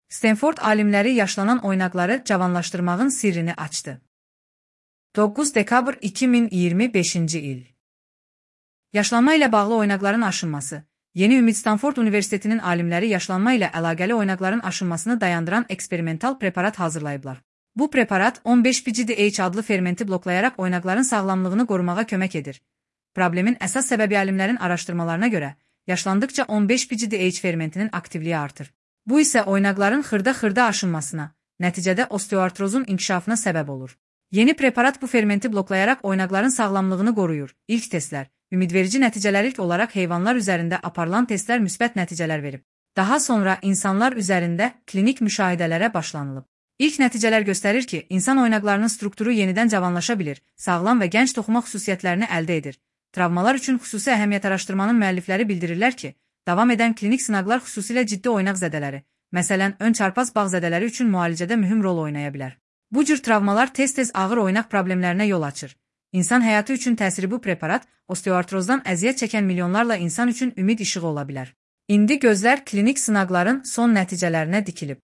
Stanford alimləri yaşlanan oynaqları cavanlaşdırmağın sirrini açdı. 9 dekabr 2025-ci il. Yaşlanma ilə bağlı oynaqların aşınması. Yeni Ümid Stanford Universitetinin alimləri yaşlanma ilə əlaqəli oynaqların aşınmasını dayandıran eksperimental preparat hazırlayıblar. Bu preparat 15-PGDH adlı fermenti bloklayaraq oynaqların sağlamlığını qorumağa kömək edir. Problemin əsas səbəbi alimlərin araşdırmalarına görə, yaşlandıqca 15-PGDH fermentinin aktivliyi artır. Bu isə oynaqların xırda-xırda aşınmasına, nəticədə osteoartrozun inkişafına səbəb olur. Yeni preparat bu fermenti bloklayaraq oynaqların sağlamlığını qoruyur. İlk testlər, ümidverici nəticələr ilk olaraq heyvanlar üzərində aparılan testlər müsbət nəticələr verib. Daha sonra insanlar üzərində klinik müşahidələrə başlanılıb. İlk nəticələr göstərir ki, insan oynaqlarının strukturu yenidən cavanlaşa bilir, sağlam və gənc toxuma xüsusiyyətlərini əldə edir. Travmalar üçün xüsusi əhəmiyyət araşdırmanın müəllifləri bildirirlər ki, davam edən klinik sınaqlar xüsusilə ciddi oynaq zədələri, məsələn, ön çarpaz bağ zədələri üçün müalicədə mühüm rol oynaya bilər. Bu cür travmalar tez-tez ağır oynaq problemlərinə yol açır. İnsan həyatı üçün təsiri bu preparat, osteoartrozdan əziyyət çəkən milyonlarla insan üçün ümid işığı ola bilər. İndi gözlər klinik sınaqların son nəticələrinə dikilib.